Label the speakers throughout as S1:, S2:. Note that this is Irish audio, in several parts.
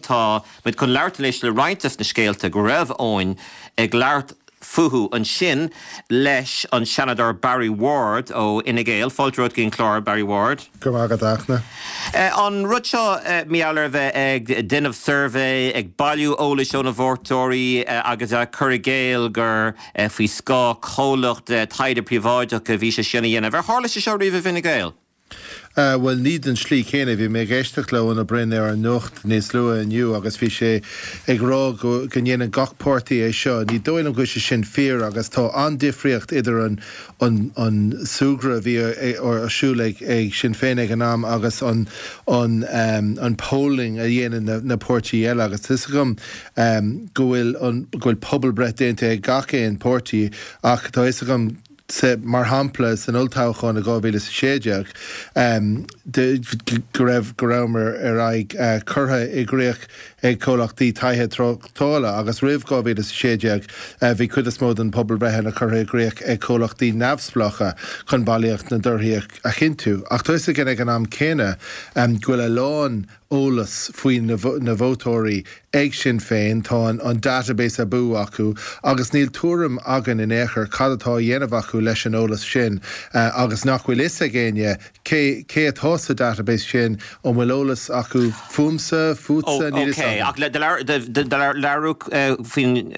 S1: Tá muid chun labhairt anois le roinnt des na scéalta go raibh Eoin ag labhairt fúthu ansin leis an Seanadóir Barry Ward ó Fhine Gael. Fáilte romhat go dtí an clár, Barry Ward.
S2: Go raibh maith agat, a Fhachtna.
S1: An rud seo mar gheall ar a bheith ag déanamh suirbhé, ag bailiú eolais ó na vótóirí agus ag cur i gcéill gur faoi scáth comhlacht taighde príobháideach a bhí sé sin á dhéanamh. Ar tharla sé seo riamh i bhFine Gael?
S2: Bhuel, ní den slí céanna. Bhí mé ag éisteacht le Eoin Ó Broin ar an Nuacht níos luaithe inniu agus bhí sé ag rá go go ndéanann gach páirtí é seo. Ní dóigh liom go bhfuil sé sin fíor agus tá an-difríocht idir an an an súgradh a bhí ar siúl ag ag Sinn Féin ag an am agus an an an polling a dhéanann na na páirtí eile agus tá 'fhios agam go bhfuil an go bhfuil pobalbreith déanta ag gach aon páirtí ach tá 'fhios agam Mar shampla, san olltoghchán i 2016, go raibh go rabhamar ar aghaidh curtha i gcrích ag comhlachtaí taighde tráchtála agus roimh 2016 bhí cuid is mó den pobalbhreitheanna curtha i gcrích ag comhlachtaí neamhspleácha chun bailíocht na dtorthaí a chinntiú. Ach tá 'fhios againn ag an am céanna go bhfuil a lán eolas faoi na vótóirí ag Sinn Féin, tá an database abú acu agus níl tuairim againn in aon chor cad atá á dhéanamh acu leis an eolas sin agus nach bhfuil fhios ag éinne cé cé atá sa database sin, an bhfuil eolas acu fúmsa, fútsa, níl fhios
S1: againn. Ok, ach labhraíodh faoin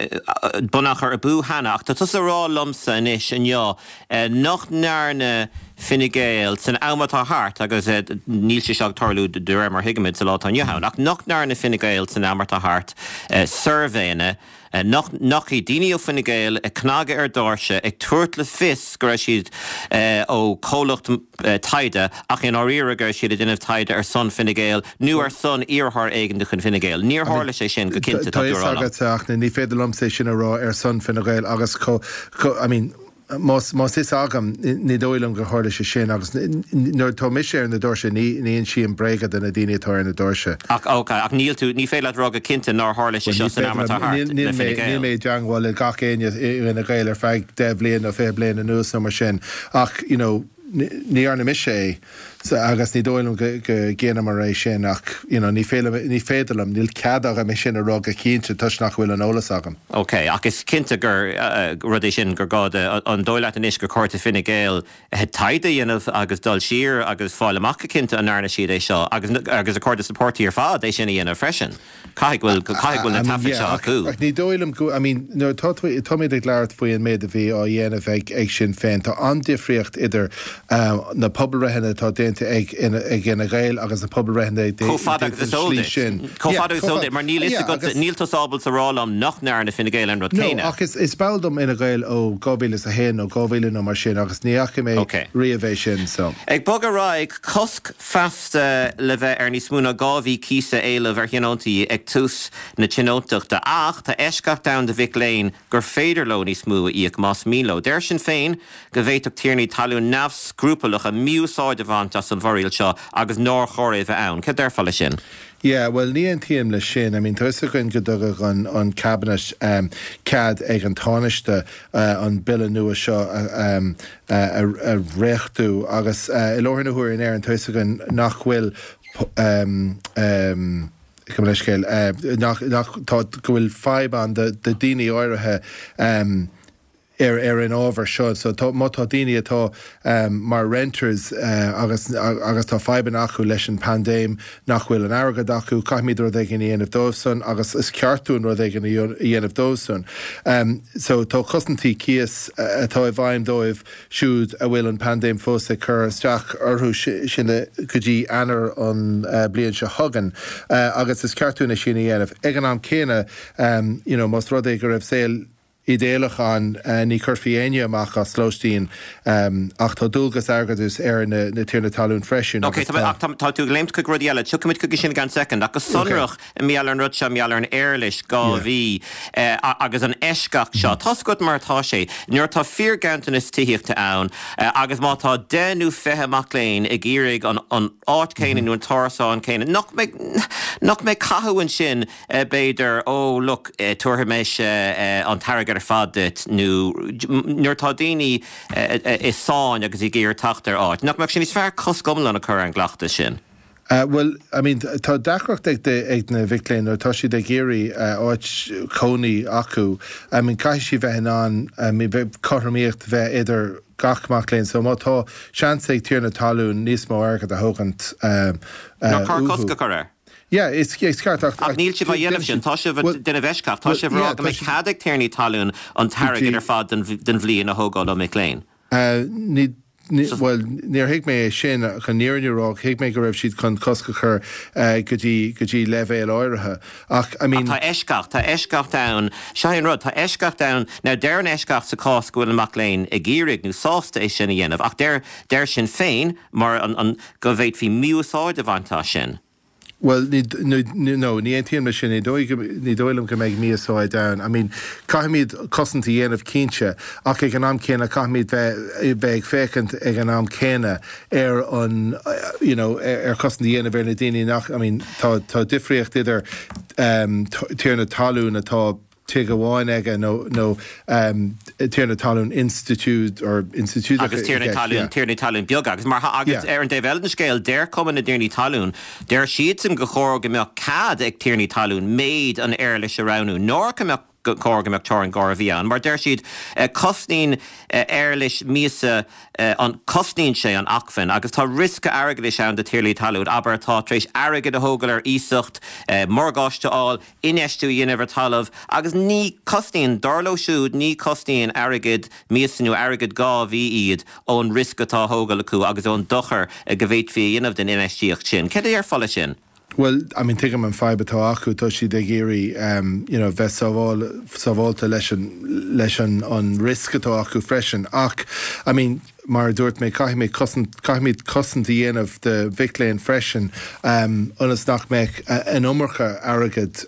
S1: bunachar abú cheana ach tá tusa ag rá liomsa anois inniu nach ndearna Fine Gael san am atá thart, agus níl sé seo ag tarlú de réir mar a thuigimid sa lá atá inniu ann, ach nach ndearna Fine Gael san am atá thart suirbhéanna, nach ndeachaigh daoine ó Fine Gael ag cnagadh ar dhoirse ag tabhairt le fios go raibh siad ó chomhlacht taighde ach i ndáiríre go raibh siad ag déanamh taighde ar son Fine Gael nó ar son iarrthóir éigin de chuid Fine Gael. Níor tharla sé sin go cinnte,
S2: tá tú a rá liom. Tá fhios agat, a Fhachtna, ní féidir liomsa é sin a rá ar son Fine Gael agus I mean, Más fhios agam, ní dóigh liom gur tharla sé sin agus nuair atá mise ar na doirse ní insím bréaga do na daoine atá ar na doirse.
S1: Ach ok, ach níl tú, ní féidir leat rá go cinnte nár tharla sé seo san am atá thart le Fine Gael.
S2: Níl mé i dteangmháil le gach éinne i bhFine Gael ar feadh 10 bhliain nó 20 bliain anuas nó mar sin ach you know ní dhearna mise é agus ní dóigh liom go ndéanamar é sin ach you know ní féidir liom, níl cead agam é sin a rá go cinnte toisc nach bhfuil an eolas agam.
S1: Ok, ach is cinnte gur rud é sin gur gá do, an dóigh leat anois gur chóir do Fine Gael taighde a dhéanamh agus dul siar agus fáil amach go cinnte an ndearna siad é seo agus agus ar chóir do na páirtí ar fad é sin a dhéanamh freisin? Caithfidh go bhfuil, caithfidh go bhfuil na taifid seo acu.
S2: Ach ní dóigh liom go, I mean, nuair atá tú, táimid ag labhairt faoi an méid a bhí á dhéanamh ag, ag Sinn Féin, tá an-difríocht idir na pobalbhreitheanna atá déanta ag, ag Fhine Gael agus na pobalbhreitheanna
S1: Chomh fada agus is eol duit. Chomh fada agus is eol duit, mar níl fhios agat, níl tusa ábalta a rá liom nach ndearna Fine Gael an rud céanna.
S2: No, ach is, is ball dom Fhine Gael ó 2001 nó 2000 nó mar sin agus ní fhaca mé riamh é sin, so.
S1: Ag bogadh ar aghaidh, cosc feasta. le bheith ar níos mó ná 2 mhí cíosa a éileamh ar thionóntaí ag tús na tionóntachta ach tá eisceacht ann do mhic léinn gur féidir leo níos mó a íoc más mian leo. Deir Sinn Féin go bhféadfadh tiarnaí talún neamhscrupaillacha mí-úsáid a bhaint as an bhforaíl seo agus nár chóir é bheith ann. Céard déarfá leis sin?
S2: Yeah, bhuel ní aontaím leis sin. I mean tá fhios againn go dtugadh an an Cabinet cead ag an Tánaiste an bille nua seo a a dhréachtú agus i láthair na huaire in Éirinn tá fhios againn nach bhfuil gabh mo leithscéal nach nach tá go bhfuil fadhb ann do do daoine áirithe ar ar an ábhar seo so tá má tá daoine atá mar renters agus agus tá fadhbanna acu leis an paindéim nach bhfuil an airgead acu, caithfimid rud éigin a dhéanamh dóibhsan agus is ceart dúinn rud éigin a dhéanamh dóibhsan. So tá cosaintí cíos atá i bhfeidhm dóibh siúd a bhfuil an paindéim fós ag cur isteach orthu sin go dtí Eanáir an bliain seo chugainn agus is ceart dúinn é sin a dhéanamh. Ag an am céanna, you know, más rud é go raibh saol idéalach ann, ní chuirfí éinne amach as lóistín ach tá dualgas airgeadais ar na tiarnaí talún freisin
S1: Ok, agus tá. ach tá tú ag léimt chuig rudaí eile. Tiocfaimid chuige sin i gceann soicind. Ach go sonrach, i mar gheall ar an rud seo, mar gheall ar an éarlais 2 mhí agus an eisceacht seo, tá's agat mar atá sé, nuair atá fíorghanntanas tithíochta ann agus má tá 10 nó 20 mac léinn ag iarraidh an áit chéanna nó an t-árasán céanna, nach mbeidh, nach mbeidh cathú ansin b'fhéidir, oh look, tabharfaidh mise an t-airgead ar fad duit, nó nuair atá daoine i sáinn agus ag iarraidh teacht ar áit, nach mbeadh sé níos fearr cosc iomlán a chur ar an gcleachtas sin?
S2: Bhuel, I mean, tá deacracht ag ag na mhic léinn nuair atá siad ag iarraidh áit cónaí acu. I mean, caithfidh siad bheith in ann, I mean, cothromaíocht bheith idir gach mac léinn. So má tá seans ag tiarna talún níos mó airgead a thógaint
S1: Nár chóir cosc a chur air?
S2: Yeah, is ceart
S1: ach. Ach níl sibh á dhéanamh sin. Tá sibh ag déanamh eisceacht. Tá sibh ag rá go mbeidh cead ag tiarnaí talún an t-airgead ar fad den bhliain a thógáil ó mic léinn.
S2: Ní, bhuel, níor thuig mé é sin, chun an fhírinne a rá, thuig mé go raibh siad chun cosc a chur go dtí, go dtí leibhéal áirithe. Ach, I mean.
S1: Ach tá eisceacht, tá eisceacht ann, seo é an rud, tá eisceacht ann, now deir an eisceacht sa chás go bhfuil an mac léinn ag iarraidh nó sásta é sin a dhéanamh, ach deir, deir Sinn Féin, mar an, an, go bhféadfaí mí-úsáid a bhaint as sin.
S2: Bhuel, ní, ní, no, ní aontaím leis sin. Ní dóigh go, ní dóigh liom go mbeidh mí-úsáid ann. I mean, caithfimid cosaint a dhéanamh cinnte, ach ag an am céanna caithfimid bheith, bheith ag féachaint ag an am céanna ar an, you know, ar chosaint a dhéanamh ar na daoine nach, I mean, tá, tá difríocht idir um, tiarna talún atá tigh amháin aige nó nó tiarna talún institiúid or
S1: institiúideach Agus tiarnaí talún, tiarnaí talún beaga. Agus mar agus ar an dtaobh eile den scéal, deir Cumann na dTiarnaí Talún, deir siadsan gur chóir go mbeadh cead ag tiarnaí talún méid an éarlais a roghnú, nár go mbeadh chóir go mbeadh teorainn dhá mhí ann. Mar deir siad, cosnaíonn éarlais míosa an, cosnaíonn sé an acmhainn agus tá riosca airgeadais ann do thiarnaí talún, abair, atá tar éis airgead a thógáil ar iasacht, morgáiste a fháil, infheistiú a dhéanamh ar talamh agus ní cosnaíonn, dar leo siúd, ní cosnaíonn airgead míosa nó airgead 2 mhí iad ón riosca atá á thógáil acu agus ón dochar go bhféadfaí a dhéanamh den infheistíocht sin. Céard a déarfá leis sin?
S2: Bhuel, I mean, tuigim an fadhb atá acu, tá siad ag iarraidh you know bheith sábháil, sábháilte leis an, leis an, an riosca atá acu freisin ach, I mean, Mar a dúirt mé, caithfimid cosaint, caithfimid cosaint a dhéanamh do mhic léinn freisin ionas nach mbeadh an iomarca airgid,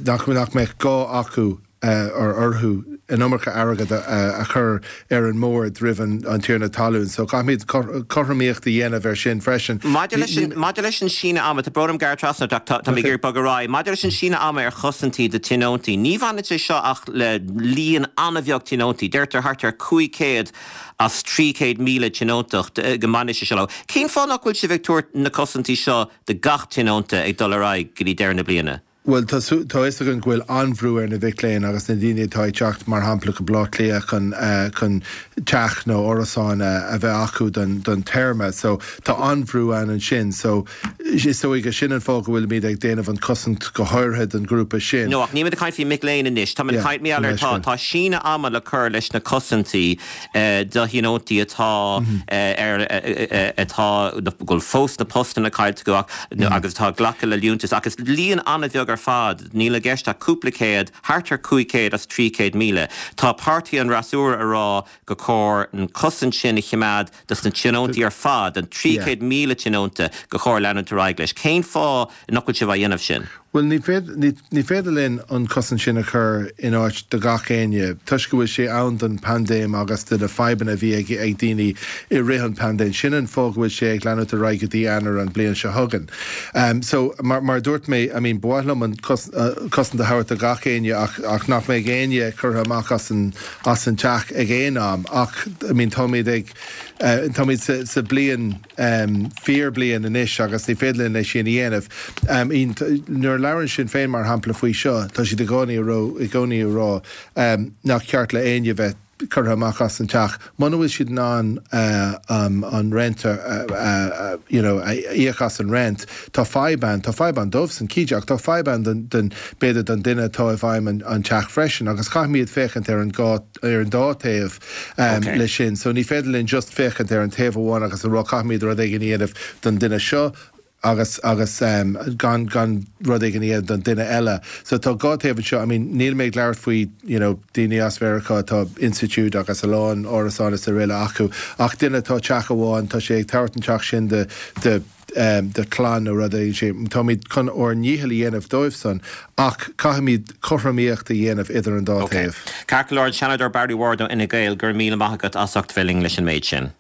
S2: nach nach mbeadh gá acu or orthu an iomarca airgid a chur ar an mbord roimh an tiarna talún. So caithfimid cothromaíocht a dhéanamh ar sin freisin.
S1: Maidir leis an, maidir leis an síneadh ama, tá brón orm gearradh trasna ort ach tá, tá mé ag iarraidh bogadh ar aghaidh. Maidir leis an síneadh ama ar chosaintí do tionóntaí, ní bhaineann sé seo ach le líon an-bheag tionóntaí, deirtear thart ar 500 as 300,000 tionóntacht go mbaineann sé seo leo. Cén fáth nach bhfuil sibh ag tabhairt na cosaintí seo do gach tionónta ag dul ar aghaidh go dtí deireadh na bliana?
S2: Bhuel, tá tá fhios againn go bhfuil an-bhrú ar na mhic léinn agus na daoine atá ag teacht, mar shampla, go Baile Átha Cliath chun chun teach nó árasán a bheith acu don don téarma. So tá an-bhrú ann ansin. So Is dóigh gur sin an fáth go bhfuilimid ag déanamh an cosaint go háirithe don ghrúpa sin.
S1: No, ach nílimid ag caint faoi mic léinn anois. Táimid ag caint mar gheall ar tá síneadh ama le cur leis na cosaintí do thionóntaí atá ar atá go bhfuil fós na postanna caillte acu ach agus atá ag glacadh le liúntas ach is líon an-bheag ar fad, níl i gceist ach cúpla céad, thart ar 500 as 300,000. Tá páirtí an fhreasúra ag rá gur chóir an cosaint sin a choimeád dos na tionóntaí ar fad, an 300,000 tionónta, gur chóir leanúint ar aghaidh leis. Cén fáth nach bhfuil sibh á dhéanamh sin?
S2: Bhuel, ní féidir, ní féidir linn an cosaint sin a chur in áit do gach éinne, toisc go bhfuil sé ann don paindéim agus do na fadhbanna a bhí ag ag daoine i rith an paindéim. Sin an fáth go bhfuil sé ag leanúint ar aghaidh go dtí Eanáir an bliain seo chugainn. So, mar mar a dúirt mé, I mean, ba mhaith liom an cosaint a thabhairt do gach éinne ach ach nach mbeidh éinne curtha amach as an as an teach ag aon am ach I mean táimid ag táimid sa sa bliain fíor bliain anois agus ní féidir linn é sin a dhéanamh. I mean nuair a labhrann Sinn Féin mar shampla faoi seo tá siad i gcónaí a rá i gcónaí a rá nach ceart le éinne bheith curtha amach as an teach muna bhfuil siad in ann an rent a you know a íoc as an rent tá fadhb ann tá fadhb ann dóibhsan cinnte ach tá fadhb ann don don b'fhéidir don duine atá i bhfeidhm an an teach freisin agus caithfimid féachaint ar an dhá ar an dá taobh um, leis sin so ní féidir linn just féachaint ar an taobh amháin agus a rá caithfimid rud éigin a dhéanamh don duine seo agus agus gan gan rud éigin a dhéanamh don duine eile. So tá dhá taobh anseo, I mean níl mé ag labhairt faoi you know daoine as Mheiriceá atá institiúid agus a lán árasán is araile acu ach duine atá teach amháin tá sé ag tabhairt an teach sin do do do chlann nó rud éigin sin. Táimid chun ár ndícheall a dhéanamh dóibh san ach caithfimid cothromaíocht a dhéanamh idir an dá
S1: taobh. Ceart go leor, an Seanadóir Barry Ward ó Fhine Gael, go raibh míle maith agat as ucht bheith linn leis an méid sin.